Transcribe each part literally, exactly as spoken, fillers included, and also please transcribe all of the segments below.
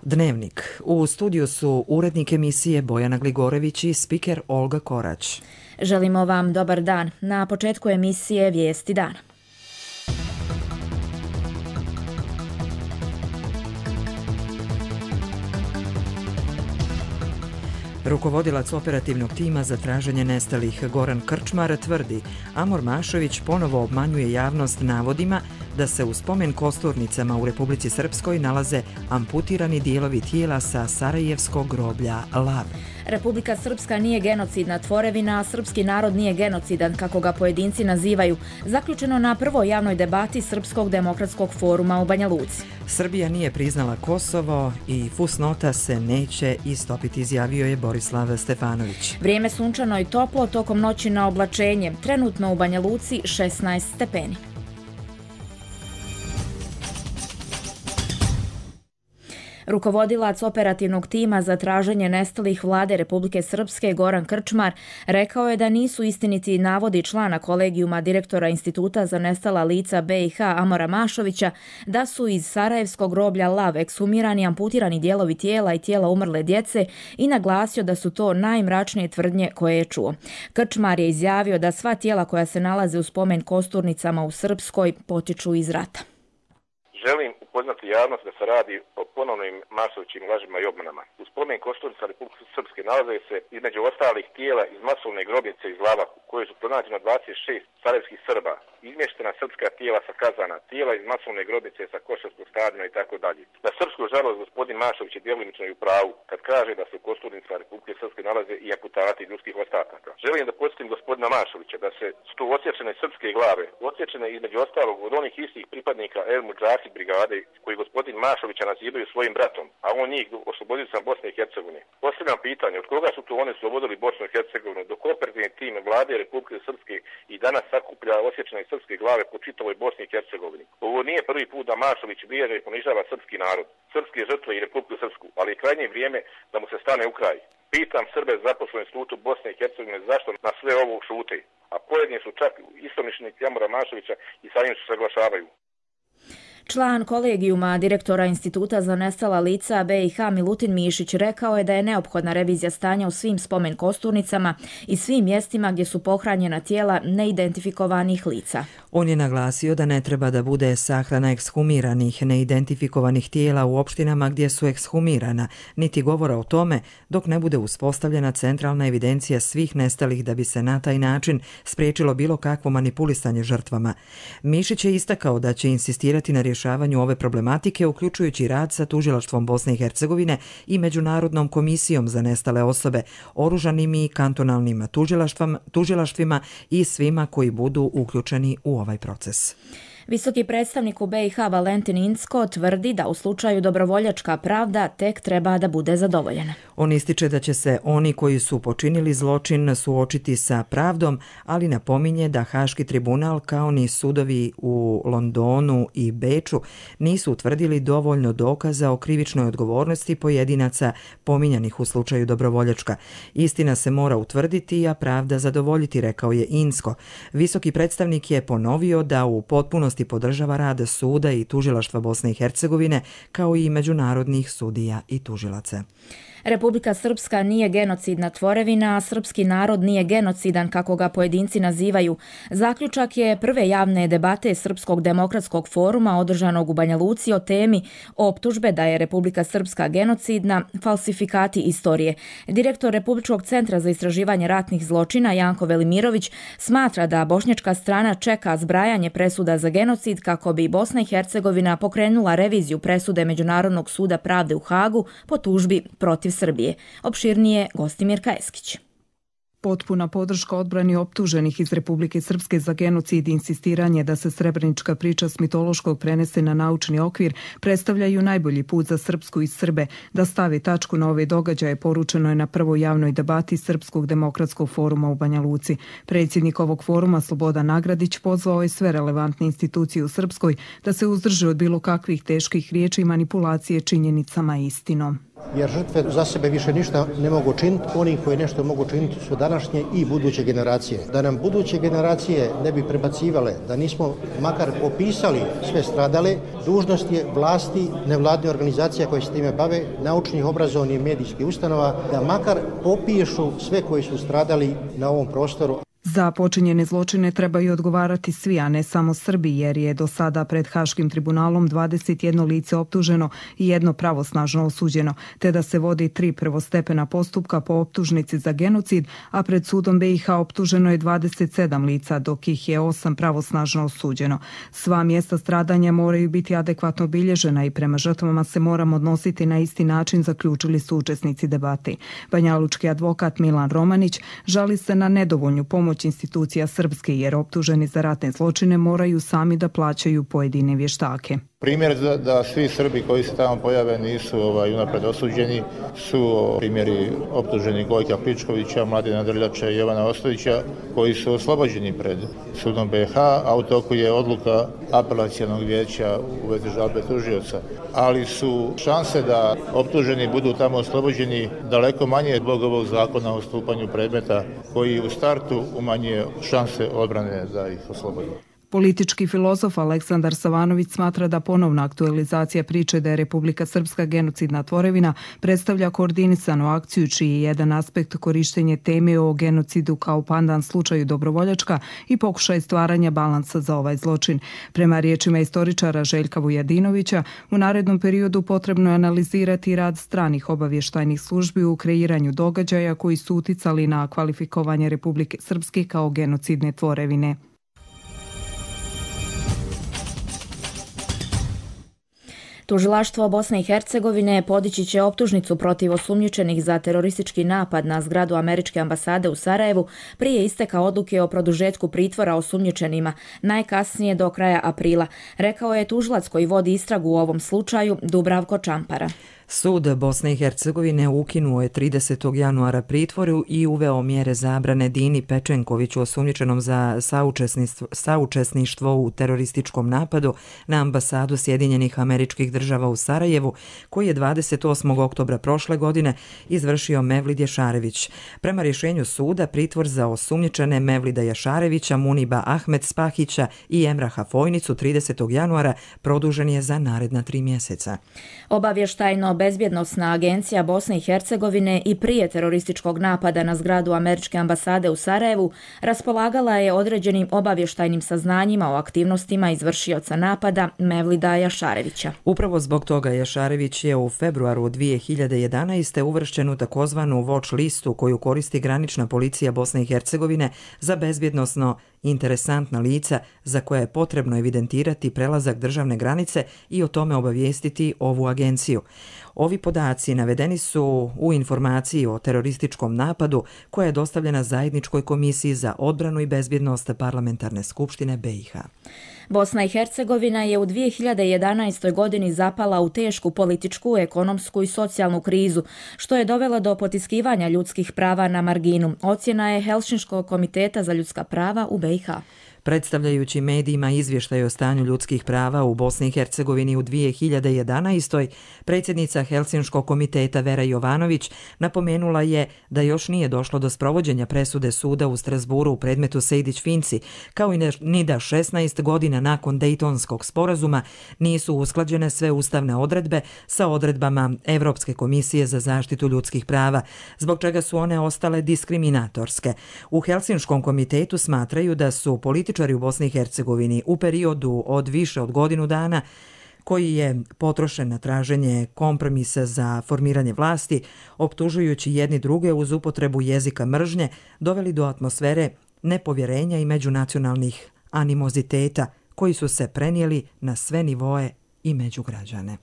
Dnevnik. U studiju su urednik emisije Bojana Gligorević i spiker Olga Korać. Želimo vam dobar dan. Na početku emisije Vijesti dana. Rukovodilac operativnog tima za traženje nestalih Goran Krčmar tvrdi Amor Mašović ponovo obmanjuje javnost navodima da se u spomen kosturnicama u Republici Srpskoj nalaze amputirani dijelovi tijela sa sarajevskog groblja Lav. Republika Srpska nije genocidna tvorevina, a srpski narod nije genocidan, kako ga pojedinci nazivaju, zaključeno na prvoj javnoj debati Srpskog demokratskog foruma u Banja Luci. Srbija nije priznala Kosovo i fusnota se neće istopiti, izjavio je Borislav Stefanović. Vrijeme sunčano i toplo, tokom noći na oblačenje. Trenutno u Banja Luci šesnaest stepeni. Rukovodilac operativnog tima za traženje nestalih vlade Republike Srpske Goran Krčmar rekao je da nisu istiniti navodi člana kolegijuma direktora Instituta za nestala lica B i H Amora Mašovića da su iz sarajevskog groblja Lav ekshumirani amputirani dijelovi tijela i tijela umrle djece i naglasio da su to najmračnije tvrdnje koje je čuo. Krčmar je izjavio da sva tijela koja se nalaze u spomen kosturnicama u Srpskoj potiču iz rata. Želim upoznati javnost da se radi o ponovnim Mašovićim lažima i obmanama. U spomen kosturnica Republike Srpske nalaze se između ostalih tijela iz masovne grobnice iz Lava, koje su pronađena dvadeset šest sarajevskih Srba, izmještena srpska tijela sa Kazana, tijela iz masovne grobnice sa Košarskog stadiona i tako dalje. Na srpsku žalost gospodin Mašović je djelomično i u pravu kad kaže da se u kosturnicama Republike Srpske nalaze i amputati ljudskih ostataka. Želim da podsjetim gospodina Mašovića da se sto odsječene srpske glave, odsječene između ostalog od onih istih pripadnika El Mudžahid brigade koji gospodin Mašovića nazivaju svojim bratom, a on njih oslobodio sam Bosne i Hercegovine. Postavljam pitanje, od koga su to oni oslobodili Bosnu i Hercegovinu, dok operativni tim vlade Republike Srpske i danas sakuplja osječene srpske glave po čitavoj Bosni i Hercegovini. Ovo nije prvi put da Mašović vrijeđa i ponižava srpski narod, srpske žrtve i Republiku Srpsku, ali je krajnje vrijeme da mu se stane u kraj. Pitam Srbe zaposlene u Institutu Bosne i Hercegovine zašto na sve ovo šute, a pojedini su čak istomišljenici Amora Mašovića i sa njim se saglašavaju. Član kolegijuma direktora Instituta za nestala lica B i H Milutin Mišić rekao je da je neophodna revizija stanja u svim spomen kosturnicama i svim mjestima gdje su pohranjena tijela neidentifikovanih lica. On je naglasio da ne treba da bude sahrana ekshumiranih neidentifikovanih tijela u opštinama gdje su ekshumirana, niti govora o tome dok ne bude uspostavljena centralna evidencija svih nestalih da bi se na taj način spriječilo bilo kakvo manipulisanje žrtvama. Mišić je istakao da će insistirati na rješavanju ove problematike, uključujući rad sa Tužilaštvom Bosne i Hercegovine i Međunarodnom komisijom za nestale osobe, oružanim i kantonalnim tužilaštvima i svima koji budu uključeni u ovaj proces. Visoki predstavnik u B i H Valentin Incko tvrdi da u slučaju dobrovoljačka pravda tek treba da bude zadovoljena. On ističe da će se oni koji su počinili zločin suočiti sa pravdom, ali napominje da Haški tribunal kao ni sudovi u Londonu i Beču nisu utvrdili dovoljno dokaza o krivičnoj odgovornosti pojedinaca pominjanih u slučaju dobrovoljačka. Istina se mora utvrditi, a pravda zadovoljiti, rekao je Incko. Visoki predstavnik je ponovio da u potpunosti podržava rad suda i tužilaštva Bosne i Hercegovine kao i međunarodnih sudija i tužilaca. Republika Srpska nije genocidna tvorevina, a srpski narod nije genocidan, kako ga pojedinci nazivaju. Zaključak je prve javne debate Srpskog demokratskog foruma održanog u Banja Luci o temi optužbe da je Republika Srpska genocidna, falsifikati istorije. Direktor Republičkog centra za istraživanje ratnih zločina Janko Velimirović smatra da bošnjačka strana čeka zbrajanje presuda za genocid kako bi Bosna i Hercegovina pokrenula reviziju presude Međunarodnog suda pravde u Hagu po tužbi protiv Srbije. Opširnije Gostimir Kajeskić. Potpuna podrška odbrani optuženih iz Republike Srpske za genocid i insistiranje da se srebrenička priča s mitološkog prenese na naučni okvir predstavljaju najbolji put za Srpsku i Srbe da stavi tačku na ove događaje, poručeno je na prvoj javnoj debati Srpskog demokratskog foruma u Banja Luci. Predsjednik ovog foruma Slobodan Nagradić pozvao je sve relevantne institucije u Srpskoj da se uzdrže od bilo kakvih teških riječi i manipulacije činjenicama i istinom. jer žrtve za sebe više ništa ne mogu činiti, oni koji nešto mogu činiti su današnje i buduće generacije. Da nam buduće generacije ne bi prebacivale, da nismo makar popisali sve stradale, dužnost je vlasti, nevladne organizacije koje se time bave, naučnih, obrazovnih i medijskih ustanova, da makar popišu sve koji su stradali na ovom prostoru. Za počinjene zločine trebaju odgovarati svi, a ne samo Srbi, jer je do sada pred Haškim tribunalom dvadeset jedno lice optuženo i jedno pravosnažno osuđeno, te da se vodi tri prvostepena postupka po optužnici za genocid, a pred sudom B i H optuženo je dvadeset sedam lica, dok ih je osam pravosnažno osuđeno. Sva mjesta stradanja moraju biti adekvatno obilježena i prema žrtvama se moramo odnositi na isti način, zaključili su učesnici debate. Banjalučki advokat Milan Romanić žali se na nedovoljnu pomoć institucija Srpske, jer optuženi za ratne zločine moraju sami da plaćaju pojedine vještake. Primjer da, da svi Srbi koji se tamo pojave nisu ovaj, unapred osuđeni su primjeri optuženi Gojka Pličkovića, Mladena Drljača i Jovana Ostojića, koji su oslobođeni pred sudom B H, a u toku je odluka apelacionog vijeća u vezi žalbe tužioca. Ali su šanse da optuženi budu tamo oslobođeni daleko manje zbog ovog zakona o stupanju predmeta, koji u startu umanjuje šanse odbrane da ih oslobodi. Politički filozof Aleksandar Savanović smatra da ponovna aktualizacija priče da je Republika Srpska genocidna tvorevina predstavlja koordinisanu akciju čiji je jedan aspekt korištenje teme o genocidu kao pandan slučaju Dobrovoljačka i pokušaj stvaranja balansa za ovaj zločin. Prema riječima istoričara Željka Vujadinovića, u narednom periodu potrebno je analizirati rad stranih obavještajnih službi u kreiranju događaja koji su uticali na kvalifikovanje Republike Srpske kao genocidne tvorevine. Tužilaštvo Bosne i Hercegovine podići će optužnicu protiv osumnjičenih za teroristički napad na zgradu američke ambasade u Sarajevu prije isteka odluke o produžetku pritvora osumnjičenima, najkasnije do kraja aprila, rekao je tužilac koji vodi istragu u ovom slučaju, Dubravko Čampara. Sud Bosne i Hercegovine ukinuo je tridesetog januara pritvoru i uveo mjere zabrane Dini Pečenkoviću, osumnjičenom za saučesništvo u terorističkom napadu na ambasadu Sjedinjenih Američkih Država u Sarajevu, koji je dvadeset osmog oktobra prošle godine izvršio Mevlid Jašarević. Prema rješenju suda, pritvor za osumnjičene Mevlida Jašarevića, Muniba Ahmed Spahića i Emraha Fojnicu tridesetog januara produžen je za naredna tri mjeseca. Obavještajno Bezbjednosna agencija Bosne i Hercegovine i prije terorističkog napada na zgradu američke ambasade u Sarajevu raspolagala je određenim obavještajnim saznanjima o aktivnostima izvršioca napada Mevlida Jašarevića. Upravo zbog toga Jašarević je u februaru dvije hiljade jedanaeste. uvršćen u takozvanu watch listu koju koristi granična policija Bosne i Hercegovine za bezbjednosno interesantna lica za koje je potrebno evidentirati prelazak državne granice i o tome obavijestiti ovu agenciju. Ovi podaci navedeni su u informaciji o terorističkom napadu koja je dostavljena Zajedničkoj komisiji za odbranu i bezbjednost Parlamentarne skupštine B i H. Bosna i Hercegovina je u dvije hiljade jedanaestoj. godini zapala u tešku političku, ekonomsku i socijalnu krizu, što je dovelo do potiskivanja ljudskih prava na marginu. Ocjena je Helsinškog komiteta za ljudska prava u B i H. Predstavljajući medijima izvještaj o stanju ljudskih prava u Bosni i Hercegovini u dvije hiljade jedanaestoj. predsjednica Helsinškog komiteta Vera Jovanović napomenula je da još nije došlo do sprovođenja presude suda u Strasburu u predmetu Sejdić-Finci, kao i ni da šesnaest godina nakon Dejtonskog sporazuma nisu usklađene sve ustavne odredbe sa odredbama Evropske komisije za zaštitu ljudskih prava, zbog čega su one ostale diskriminatorske. U Helsinškom komitetu smatraju da su politički u Bosni i Hercegovini u periodu od više od godinu dana koji je potrošen na traženje kompromisa za formiranje vlasti, optužujući jedni druge uz upotrebu jezika mržnje, doveli do atmosfere nepovjerenja i međunacionalnih animoziteta koji su se prenijeli na sve nivoe i među građane.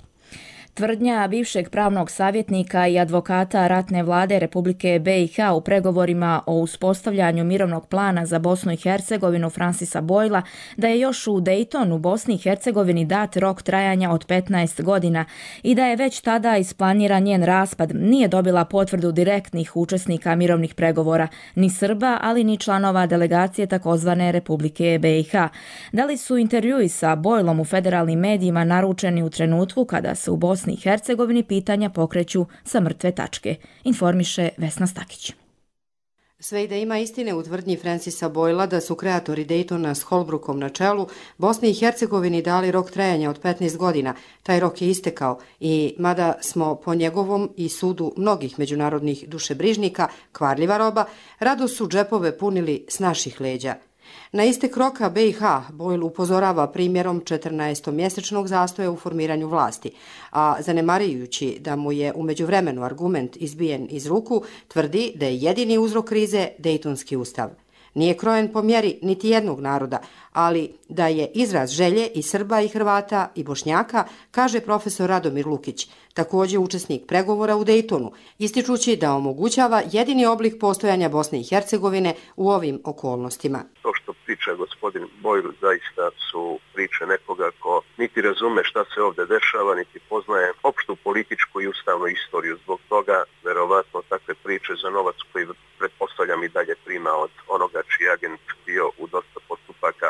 Tvrdnja bivšeg pravnog savjetnika i advokata ratne vlade Republike B i H u pregovorima o uspostavljanju mirovnog plana za Bosnu i Hercegovinu Francisa Boyla da je još u Daytonu Bosni i Hercegovini dat rok trajanja od petnaest godina i da je već tada isplaniran njen raspad, nije dobila potvrdu direktnih učesnika mirovnih pregovora, ni Srba, ali ni članova delegacije takozvane Republike B i H. Da li su intervjui sa Boylom u federalnim medijima naručeni u trenutku kada se u Bosni Bosni i Hercegovini pitanja pokreću sa mrtve tačke, informiše Vesna Stakić. Sve i da ima istine u tvrdnji Francisa Boyla da su kreatori Daytona s Holbrookom na čelu Bosni i Hercegovini dali rok trajanja od petnaest godina. Taj rok je istekao i mada smo po njegovom i sudu mnogih međunarodnih dušebrižnika kvarljiva roba, rado su džepove punili s naših leđa. Na istek roka B i H Boyle upozorava primjerom četrnaestomjesečnog zastoja u formiranju vlasti, a zanemarujući da mu je u međuvremenu argument izbijen iz ruku, tvrdi da je jedini uzrok krize Dejtonski ustav. Nije krojen po mjeri niti jednog naroda, ali da je izraz želje i Srba i Hrvata i Bošnjaka, kaže profesor Radomir Lukić, također učesnik pregovora u Dejtonu, ističući da omogućava jedini oblik postojanja Bosne i Hercegovine u ovim okolnostima. To što priča gospodin Boyle zaista su priče nekoga ko niti razume šta se ovdje dešava, niti poznaje opštu političku i ustavnu istoriju. Zbog toga, verovatno, takve priče za novac koji pretpostavljam i dalje prima od onoga čiji agent bio u dosta postupaka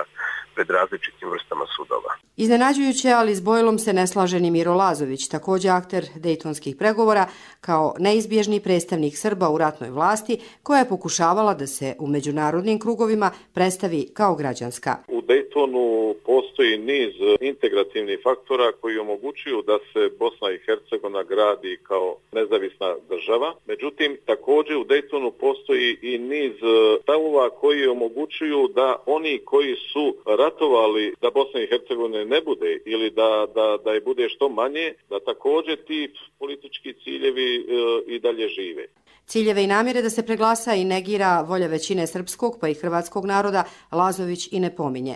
pred različitim vrstama sudova. Iznenađujuće, ali s Boylom se ne slaže ni Miro Lazović, također akter dejtonskih pregovora, kao neizbježni predstavnik Srba u ratnoj vlasti, koja je pokušavala da se u međunarodnim krugovima predstavi kao građanska. U Dejtonu postoji niz integrativnih faktora koji omogućuju da se Bosna i Hercegovina gradi kao nezavisna država. Međutim, također u Dejtonu postoji i niz stavova koji omogućuju da oni koji su ratovali da Bosna i Hercegovina ne bude ili da, da, da je bude što manje, da također ti politički ciljevi e, i dalje žive. Ciljeve i namjere da se preglasa i negira volja većine srpskog pa i hrvatskog naroda Lazović i ne pominje.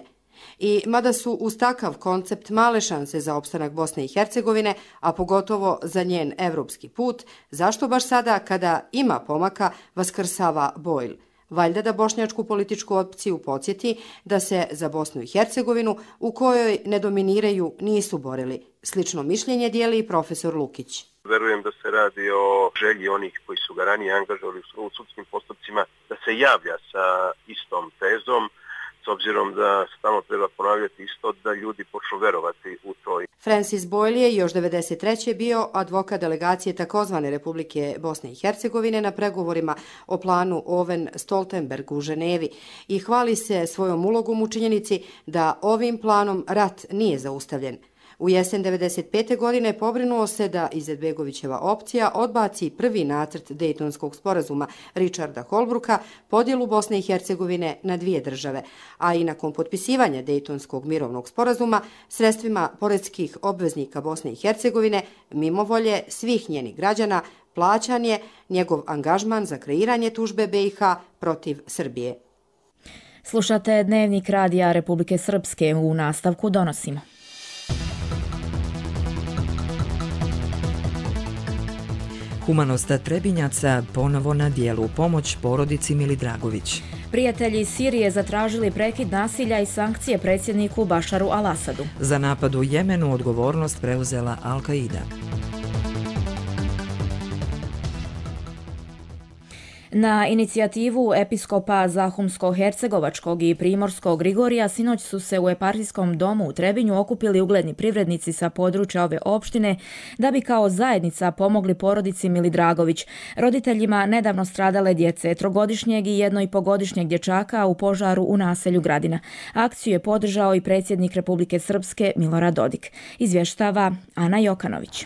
I mada su uz takav koncept male šanse za opstanak Bosne i Hercegovine, a pogotovo za njen evropski put, zašto baš sada kada ima pomaka vaskrsava Boyle? Valjda da bošnjačku političku opciju podsjeti da se za Bosnu i Hercegovinu, u kojoj ne dominiraju, nisu borili. Slično mišljenje dijeli i profesor Lukić. Verujem da se radi o želji onih koji su ga ranije angažovali u sudskim postupcima da se javlja sa istom tezom, s obzirom da stalno treba ponavljati isto, da ljudi počnu verovati u to. Francis Boyle je još devedeset treće bio advokat delegacije takozvane Republike Bosne i Hercegovine na pregovorima o planu Oven-Stoltenberg u Ženevi i hvali se svojom ulogom u činjenici da ovim planom rat nije zaustavljen. U jesen devedeset pete godine pobrinuo se da Izetbegovićeva opcija odbaci prvi nacrt Dejtonskog sporazuma Richarda Holbrooka, podjelu Bosne i Hercegovine na dvije države, a i nakon potpisivanja Dejtonskog mirovnog sporazuma sredstvima poreskih obveznika Bosne i Hercegovine, mimo volje svih njenih građana, plaćan je njegov angažman za kreiranje tužbe B i H protiv Srbije. Slušate Dnevnik radija Republike Srpske, u nastavku donosimo. Humanost Trebinjaca ponovo na dijelu, pomoć porodici Milidragović. Prijatelji Sirije zatražili prekid nasilja i sankcije predsjedniku Bašaru al-Asadu. Za napad u Jemenu odgovornost preuzela Al-Qaida. Na inicijativu episkopa Zahumsko-Hercegovačkog i Primorskog Grigorija sinoć su se u eparhijskom domu u Trebinju okupili ugledni privrednici sa područja ove opštine da bi kao zajednica pomogli porodici Milidragović, roditeljima nedavno stradale djece, trogodišnjeg i jednoipogodišnjeg dječaka u požaru u naselju Gradina. Akciju je podržao i predsjednik Republike Srpske Milorad Dodik. Izvještava Ana Jokanović.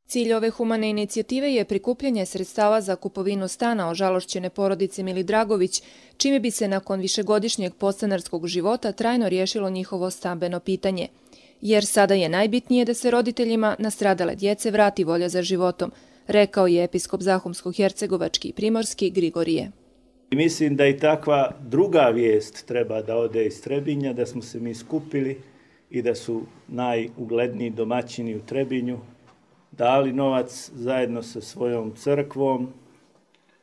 Cilj ove humane inicijative je prikupljanje sredstava za kupovinu stana ožalošćene porodice Milidragović, čime bi se nakon višegodišnjeg podstanarskog života trajno riješilo njihovo stambeno pitanje. Jer sada je najbitnije da se roditeljima nastradale djece vrati volja za životom, rekao je episkop Zahumsko-Hercegovački i Primorski Grigorije. Mislim da i takva druga vijest treba da ode iz Trebinja, da smo se mi skupili i da su najugledniji domaćini u Trebinju dali novac zajedno sa svojom crkvom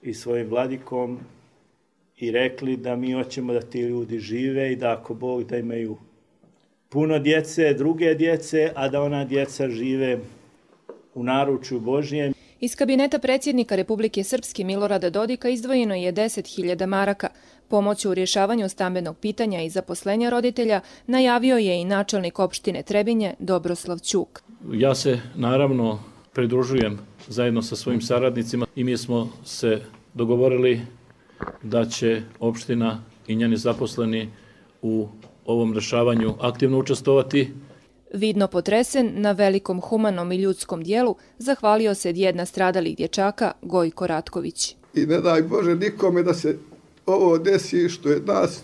i svojim vladikom i rekli da mi hoćemo da ti ljudi žive i da ako Bog da imaju puno djece, druge djece, a da ona djeca žive u naručju Božjem. Iz kabineta predsjednika Republike Srpske Milorada Dodika izdvojeno je deset hiljada maraka. Pomoć u rješavanju stambenog pitanja i zaposlenja roditelja najavio je i načelnik opštine Trebinje Dobroslav Ćuk. Ja se naravno pridružujem zajedno sa svojim saradnicima i mi smo se dogovorili da će opština i njeni zaposleni u ovom rešavanju aktivno učestvovati. Vidno potresen na velikom humanom i ljudskom dijelu, zahvalio se djed nastradalih dječaka Gojko Ratković. I ne daj Bože nikome da se ovo desi što je nas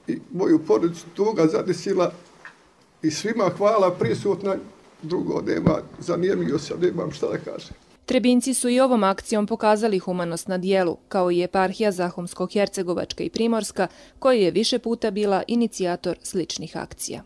i moju porodicu tuga zadesila i svima hvala prisutna, drugo nema, zanijemio sam, nemam šta da kažem. Trebinci su i ovom akcijom pokazali humanost na dijelu, kao i eparhija Zahumsko-Hercegovačka i Primorska, koja je više puta bila inicijator sličnih akcija.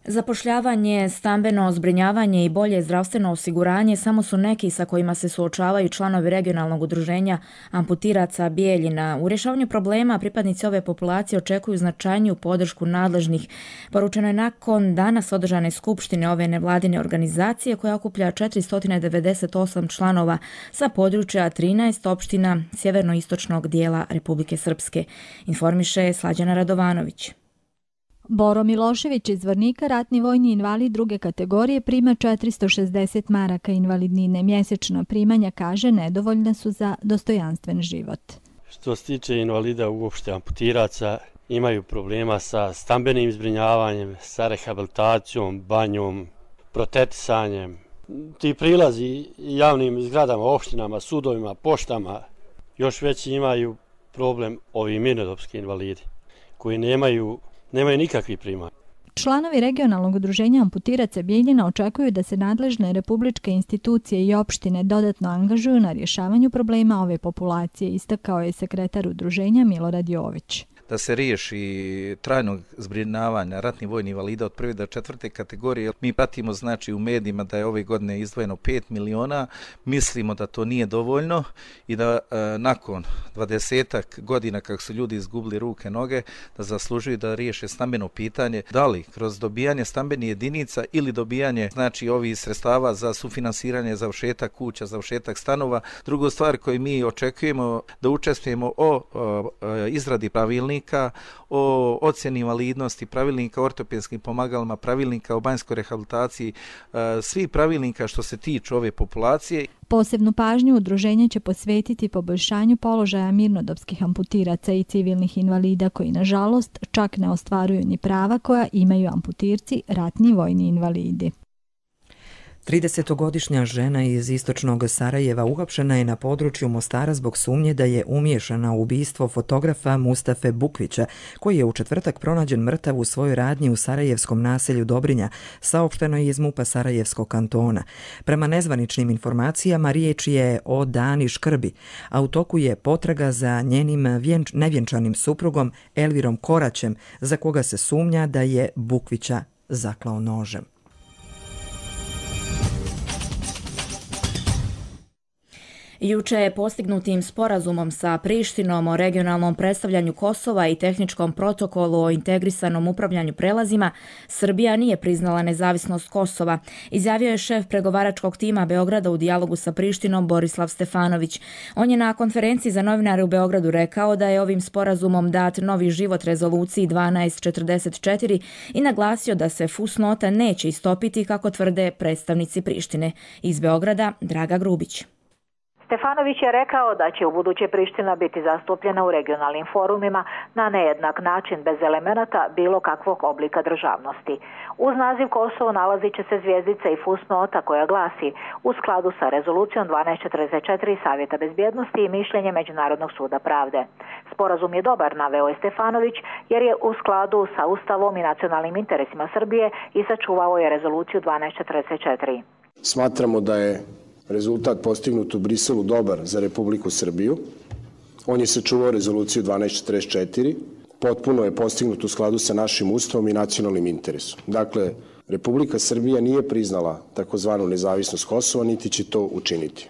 Zapošljavanje, stambeno zbrinjavanje i bolje zdravstveno osiguranje samo su neki sa kojima se suočavaju članovi regionalnog udruženja amputiraca Bijeljina. U rješavanju problema pripadnici ove populacije očekuju značajniju podršku nadležnih. Poručeno je nakon danas održane skupštine ove nevladine organizacije koja okuplja četiristo devedeset osam članova sa područja trinaest opština sjeverno-istočnog dijela Republike Srpske. Informiše Slađana Radovanović. Boro Milošević iz Zvornika, ratni vojni invalid druge kategorije, prima četiristo šezdeset maraka invalidnine. Mjesečna primanja, kaže, nedovoljna su za dostojanstven život. Što se tiče invalida uopšte amputiraca, imaju problema sa stambenim zbrinjavanjem, sa rehabilitacijom, banjom, protetisanjem. Ti prilazi javnim zgradama, opštinama, sudovima, poštama, još veći imaju problem ovi mirnodopski invalidi koji nemaju Nemaju nikakvih primanja. Članovi regionalnog udruženja amputiraca Bijeljina očekuju da se nadležne republičke institucije i opštine dodatno angažuju na rješavanju problema ove populacije, istakao je sekretar udruženja Milorad Jović. Da se riješi trajnog zbrinjavanja ratnih vojnih invalida od prve do četvrte kategorije. Mi pratimo znači u medijima da je ove godine izdvojeno pet miliona, mislimo da to nije dovoljno i da e, nakon dvadesetak godina kako su ljudi izgubili ruke, noge, da zaslužuju da riješe stambeno pitanje, da li kroz dobijanje stambenih jedinica ili dobijanje znači ovih sredstava za sufinansiranje završetak kuća, završetak stanova. Drugu stvar koju mi očekujemo da učestvujemo o, o, o izradi pravilnika, o ocjeni invalidnosti, pravilnika o ortopedskim pomagalima, pravilnika o banjskoj rehabilitaciji, svi pravilnika što se tiču ove populacije. Posebnu pažnju udruženje će posvetiti poboljšanju položaja mirnodopskih amputiraca i civilnih invalida koji, nažalost, čak ne ostvaruju ni prava koja imaju amputirci, ratni vojni invalidi. tridesetogodišnja žena iz istočnog Sarajeva uhapšena je na području Mostara zbog sumnje da je umiješana u ubistvo fotografa Mustafe Bukvića, koji je u četvrtak pronađen mrtav u svojoj radnji u sarajevskom naselju Dobrinja, saopšteno je iz MUP-a Sarajevskog kantona. Prema nezvaničnim informacijama riječ je o Dani Škrbi, a u toku je potraga za njenim vjenč, nevjenčanim suprugom Elvirom Koraćem, za koga se sumnja da je Bukvića zaklao nožem. Juče je postignutim sporazumom sa Prištinom o regionalnom predstavljanju Kosova i tehničkom protokolu o integrisanom upravljanju prelazima, Srbija nije priznala nezavisnost Kosova, izjavio je šef pregovaračkog tima Beograda u dijalogu sa Prištinom Borislav Stefanović. On je na konferenciji za novinare u Beogradu rekao da je ovim sporazumom dat novi život rezoluciji dvanaest četrdeset četiri i naglasio da se fusnota neće istopiti kako tvrde predstavnici Prištine. Iz Beograda Draga Grubić. Stefanović je rekao da će u buduće Priština biti zastupljena u regionalnim forumima na nejednak način bez elemenata bilo kakvog oblika državnosti. Uz naziv Kosovo nalazit će se zvjezdica i fusnota koja glasi u skladu sa rezolucijom dvanaest četrdeset četiri Savjeta bezbjednosti i mišljenje Međunarodnog suda pravde. Sporazum je dobar, naveo je Stefanović, jer je u skladu sa Ustavom i nacionalnim interesima Srbije i sačuvao je rezoluciju dvanaest četrdeset četiri. Smatramo da je rezultat postignut u Briselu dobar za Republiku Srbiju. On je sačuvao rezoluciju dvanaest četrdeset četiri, potpuno je postignut u skladu sa našim ustavom i nacionalnim interesom. Dakle, Republika Srbija nije priznala takozvanu nezavisnost Kosova, niti će to učiniti.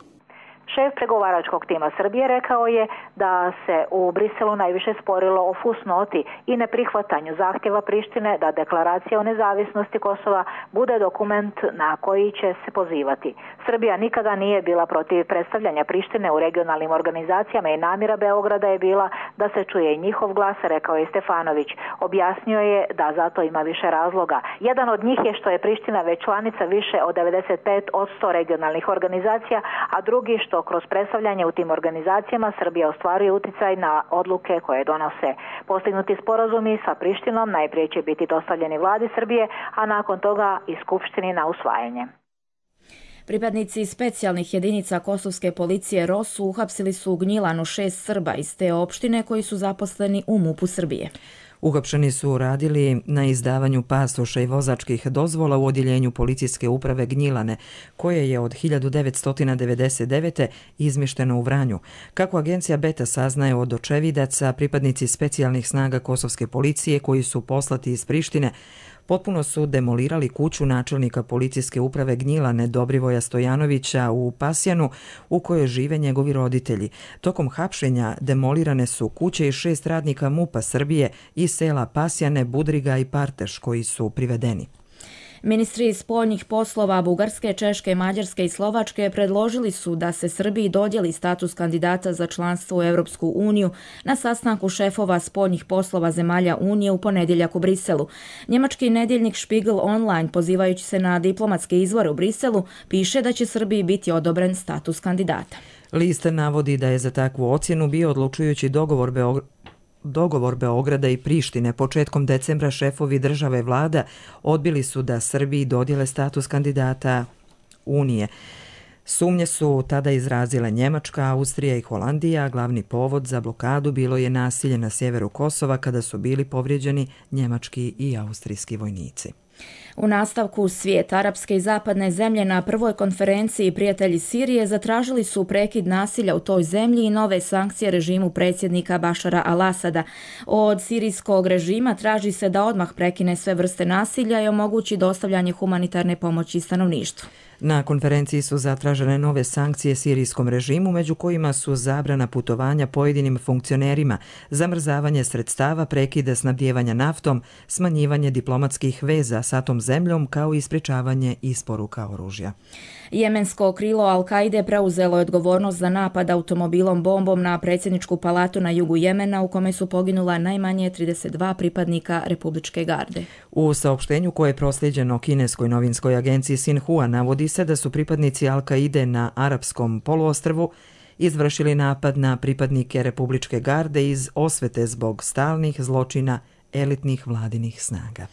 Šef pregovaračkog tima Srbije rekao je da se u Briselu najviše sporilo o fusnoti i neprihvatanju zahtjeva Prištine da deklaracija o nezavisnosti Kosova bude dokument na koji će se pozivati. Srbija nikada nije bila protiv predstavljanja Prištine u regionalnim organizacijama i namjera Beograda je bila da se čuje i njihov glas, rekao je Stefanović. Objasnio je da zato ima više razloga. Jedan od njih je što je Priština već članica više od devedeset pet posto regionalnih organizacija, a drugi što kroz predstavljanje u tim organizacijama Srbija ostvaruje uticaj na odluke koje donose. Postignuti sporazumi sa Prištinom najprije će biti dostavljeni vladi Srbije, a nakon toga i Skupštini na usvajanje. Pripadnici specijalnih jedinica kosovske policije R O S uhapsili su u Gnjilanu šest Srba iz te opštine koji su zaposleni u MUP-u Srbije. Uhapšeni su radili na izdavanju pasoša i vozačkih dozvola u odjeljenju policijske uprave Gnjilane, koje je od hiljadu devetsto devedeset devete. izmješteno u Vranju. Kako agencija Beta saznaje od očevidaca, pripadnici specijalnih snaga kosovske policije koji su poslati iz Prištine potpuno su demolirali kuću načelnika policijske uprave Gnjilane Dobrivoja Stojanovića u Pasjanu u kojoj žive njegovi roditelji. Tokom hapšenja demolirane su kuće i šest radnika MUP-a Srbije iz sela Pasjane, Budriga i Parteš koji su privedeni. Ministri spoljnih poslova Bugarske, Češke, Mađarske i Slovačke predložili su da se Srbiji dodijeli status kandidata za članstvo u Europsku uniju na sastanku šefova spoljnih poslova zemalja Unije u ponedjeljak u Briselu. Njemački nedjeljnik Spiegel Online, pozivajući se na diplomatske izvore u Briselu, piše da će Srbiji biti odobren status kandidata. List navodi da je za takvu ocjenu bio odlučujući dogovor Beograda Dogovor Beograda i Prištine. Početkom decembra šefovi države i vlada odbili su da Srbiji dodijele status kandidata Unije. Sumnje su tada izrazile Njemačka, Austrija i Holandija, a glavni povod za blokadu bilo je nasilje na sjeveru Kosova kada su bili povrijeđeni njemački i austrijski vojnici. U nastavku svijet, arapske i zapadne zemlje na prvoj konferenciji Prijatelji Sirije zatražili su prekid nasilja u toj zemlji i nove sankcije režimu predsjednika Bašara al-Asada. Od sirijskog režima traži se da odmah prekine sve vrste nasilja i omogući dostavljanje humanitarne pomoći stanovništvu. Na konferenciji su zatražene nove sankcije sirijskom režimu, među kojima su zabrana putovanja pojedinim funkcionerima, zamrzavanje sredstava, prekida snabdijevanja naftom, smanjivanje diplomatskih veza sa tom zemljom, kao i sprječavanje isporuka oružja. Jemensko krilo Al-Kaide preuzelo je odgovornost za napad automobilom bombom na predsjedničku palatu na jugu Jemena u kome su poginula najmanje trideset dva pripadnika Republičke garde. U saopštenju koje je proslijeđeno kineskoj novinskoj agenciji Sinhua navodi se da su pripadnici Al-Kaide na arapskom poluostrvu izvršili napad na pripadnike Republičke garde iz osvete zbog stalnih zločina elitnih vladinih snaga.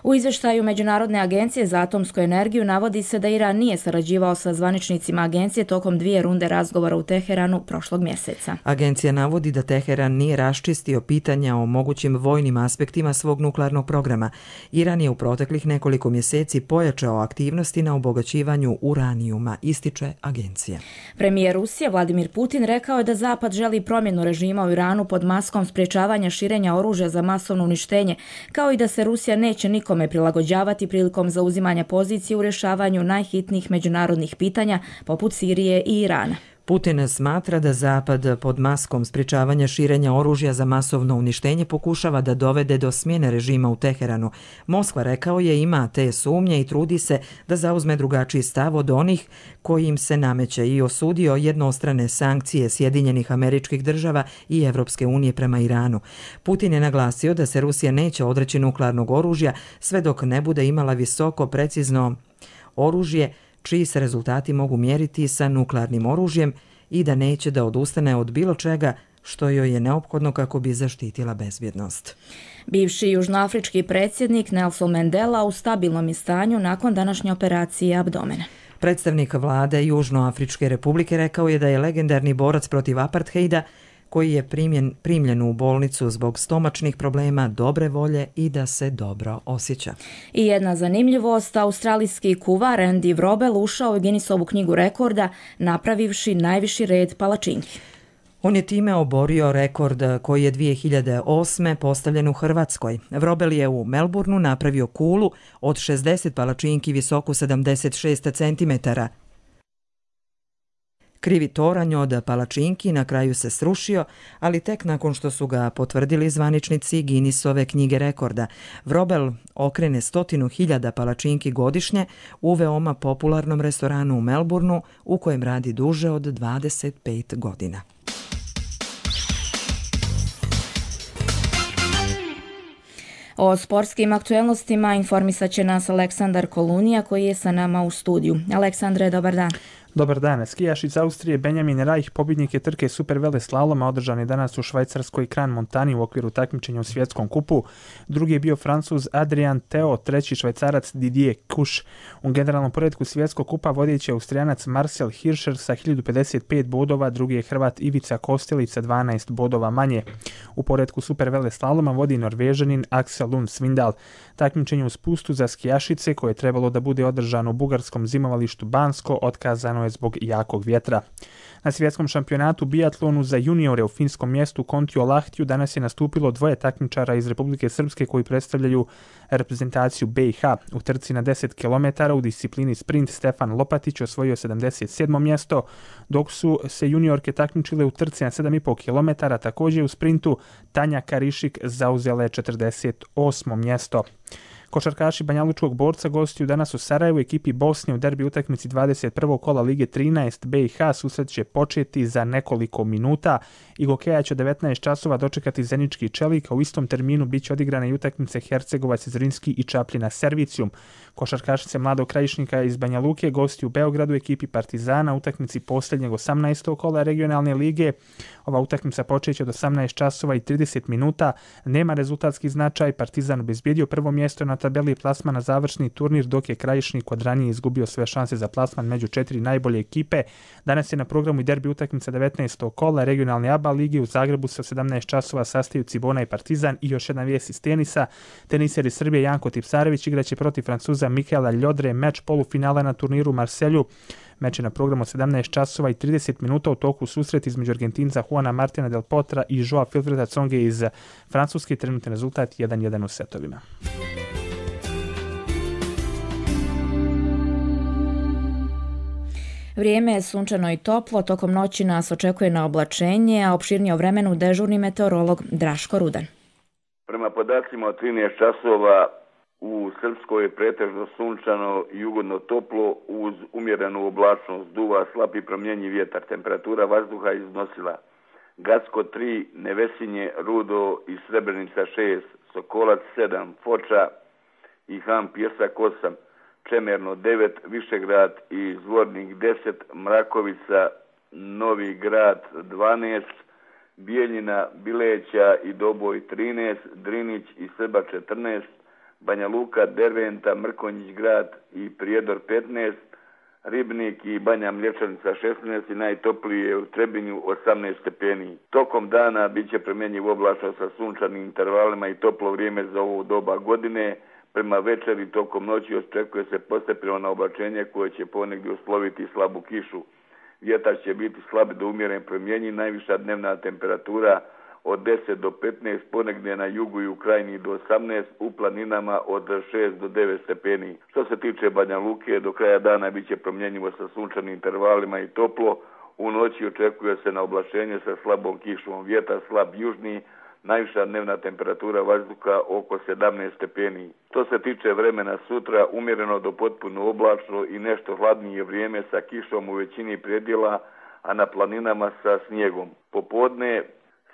U izvještaju Međunarodne agencije za atomsku energiju navodi se da Iran nije sarađivao sa zvaničnicima agencije tokom dvije runde razgovora u Teheranu prošlog mjeseca. Agencija navodi da Teheran nije raščistio pitanja o mogućim vojnim aspektima svog nuklearnog programa. Iran je u proteklih nekoliko mjeseci pojačao aktivnosti na obogaćivanju uranijuma, ističe agencija. Premijer Rusije Vladimir Putin rekao je da Zapad želi promjenu režima u Iranu pod maskom sprječavanja širenja oružja za masovno uništenje, kao i da se Rusija neće nikome prilagođavati prilikom zauzimanja pozicije u rješavanju najhitnijih međunarodnih pitanja poput Sirije i Irana. Putin smatra da Zapad pod maskom sprječavanja širenja oružja za masovno uništenje pokušava da dovede do smjene režima u Teheranu. Moskva, rekao je, ima te sumnje i trudi se da zauzme drugačiji stav od onih koji im se nameće i osudio jednostrane sankcije Sjedinjenih Američkih Država i Evropske unije prema Iranu. Putin je naglasio da se Rusija neće odreći nuklearnog oružja sve dok ne bude imala visoko precizno oružje čiji se rezultati mogu mjeriti sa nuklearnim oružjem i da neće da odustane od bilo čega što joj je neophodno kako bi zaštitila bezbjednost. Bivši južnoafrički predsjednik Nelson Mandela u stabilnom je stanju nakon današnje operacije abdomena. Predstavnik vlade Južnoafričke republike rekao je da je legendarni borac protiv apartheida koji je primjen, primljen u bolnicu zbog stomačnih problema, dobre volje i da se dobro osjeća. I jedna zanimljivost, australijski kuvar Andy Vrobel ušao u Guinnessovu knjigu rekorda napravivši najviši red palačinki. On je time oborio rekord koji je dvije hiljade osme postavljen u Hrvatskoj. Vrobel je u Melbourneu napravio kulu od šezdeset palačinki visoku sedamdeset šest centimetara. Krivi toranj od palačinki na kraju se srušio, ali tek nakon što su ga potvrdili zvaničnici Guinnessove knjige rekorda. Vrobel okrene stotinu hiljada palačinki godišnje u veoma popularnom restoranu u Melbourneu u kojem radi duže od dvadeset pet godina. O sportskim aktuelnostima informisat će nas Aleksandar Kolunija koji je sa nama u studiju. Aleksandre, dobar dan. Dobar dan. Skijaš iz Austrije Benjamin Reich pobjednik je trke super vele slaloma održane danas u švajcarskoj Kran Montani u okviru takmičenja u svjetskom kupu. Drugi je bio Francuz Adrian Theo, treći Švajcarac Didier Kuš. U generalnom poretku svjetskog kupa vodeći je Austrijanac Marcel Hirscher sa hiljadu pedeset pet bodova, drugi je Hrvat Ivica Kostelić sa dvanaest bodova manje. U poretku super vele slaloma vodi Norvežanin Axel Lund Svindal. Takmičenje u spustu za skijašice koje je trebalo da bude održano u bugarskom zimovalištu Bansko otkazano je zbog jakog vjetra. Na svjetskom šampionatu biatlonu za juniore u finskom mjestu Kontiolahtiju danas je nastupilo dvoje takmičara iz Republike Srpske koji predstavljaju reprezentaciju B i H. U trci na deset kilometara u disciplini sprint Stefan Lopatić osvojio sedamdeset sedmo mjesto, dok su se juniorke takmičile u trci na sedam i po kilometara, također u sprintu Tanja Karišik zauzele četrdeset osmo mjesto. Košarkaši Banjalučkog Borca gostuju danas u Sarajevu ekipi Bosne u derbi utakmici dvadeset prvog kola Lige trinaest. B i H susret će početi za nekoliko minuta i Gokeja će devetnaest časova dočekati Zenički Čelik, a u istom terminu bit će odigrane i utakmice Hercegovac, Zrinski i Čapljina Servicijum. Košarkašice Mladog Krajišnika iz Banja Luke gostuju u Beogradu ekipi Partizana utakmici posljednjeg osamnaestog kola regionalne lige. Ova utakmica počeće od osamnaest časova i trideset minuta. Nema rezultatski značaj, Partizan obezbijedio prvo mjesto na tabeli plasman na završni turnir, dok je Krajišnik od ranije izgubio sve šanse za plasman među četiri najbolje ekipe. Danas je na programu i derbi utakmica devetnaestog kola regionalne A B A lige. U Zagrebu se u sedamnaest časova sastaju Cibona i Partizan. I još jedna vijest iz tenisa. Teniser iz Srbije Janko Tipsarević igraće protiv Francuza Mikaela Ljodre meč polufinala na turniru u Marselju. Meč je na programu sedamnaest časova i trideset minuta, u toku susret između Argentinca Juana Martina del Potra i Joa Wilfreda Tsonge iz Francuske. Trenutni rezultat jedan jedan u setovima. Vrijeme je sunčano i toplo, tokom noći nas očekuje na oblačenje, a opširnije o vremenu dežurni meteorolog Draško Rudan. Prema podacima od trinaest časova u Srpskoj je pretežno sunčano i ugodno toplo uz umjerenu oblačnost, duva slab i promjenjiv vjetar. Temperatura vazduha iznosila Gacko tri, Nevesinje, Rudo i Srebrenica šest, Sokolac sedam, Foča i Ham Pjesak osam, Čemerno devet, Višegrad i Zvornik deset, Mrakovica, Novi Grad dvanaest, Bijeljina, Bileća i Doboj trinaest, Drinić i Srba četrnaest, Banja Luka, Derventa, Mrkonjić grad i Prijedor petnaest, Ribnik i Banja Mlječanica šesnaest i najtoplije u Trebinju osamnaest stepeni. Tokom dana bit će promjenjiv oblačno sa sunčanim intervalima i toplo vrijeme za ovo doba godine. Prema večeri tokom noći očekuje se postepeno na oblačenje koje će ponegdje usloviti slabu kišu. Vjetar će biti slab do umjeren promjenjiv, najviša dnevna temperatura od deset do petnaest, ponegdje na jugu i u krajini do osamnaest, u planinama od šest do devet stepeni. Što se tiče Banja Luke, do kraja dana bit će promjenjivo sa sunčanim intervalima i toplo. U noći očekuje se na oblačenje sa slabom kišom. Vjetar slab južni, najviša dnevna temperatura vazduha oko sedamnaest stepeni. Što se tiče vremena sutra, umjereno do potpuno oblačno i nešto hladnije vrijeme sa kišom u većini predjela, a na planinama sa snijegom. Popodne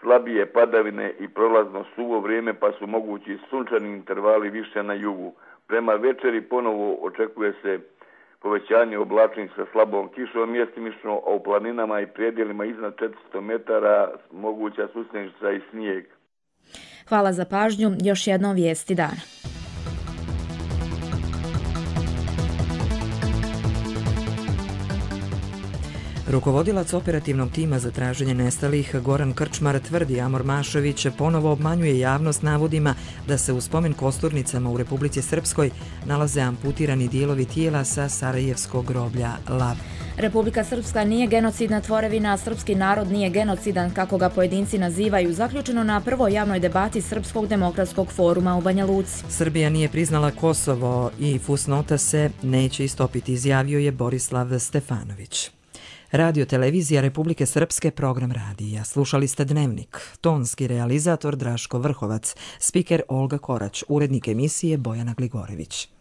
slabije padavine i prolazno suvo vrijeme, pa su mogući sunčani intervali više na jugu. Prema večeri ponovo očekuje se povećanje oblačnih sa slabom kišom mjestimično, a u planinama i predjelima iznad četiristo metara moguća susnjenica i snijeg. Hvala za pažnju. Još jednom vijesti dana. Rukovodilac operativnog tima za traženje nestalih Goran Krčmar tvrdi Amor Mašović ponovo obmanjuje javnost navodima da se u spomen kosturnicama u Republici Srpskoj nalaze amputirani dijelovi tijela sa Sarajevskog groblja Lav. Republika Srpska nije genocidna tvorevina, a srpski narod nije genocidan, kako ga pojedinci nazivaju, zaključeno na prvoj javnoj debati Srpskog demokratskog foruma u Banja Luci. Srbija nije priznala Kosovo i fusnota se neće istopiti, izjavio je Borislav Stefanović. Radio Televizija Republike Srpske, program radija. Slušali ste Dnevnik. Tonski realizator Draško Vrhovac, spiker Olga Korać, urednik emisije Bojana Gligorević.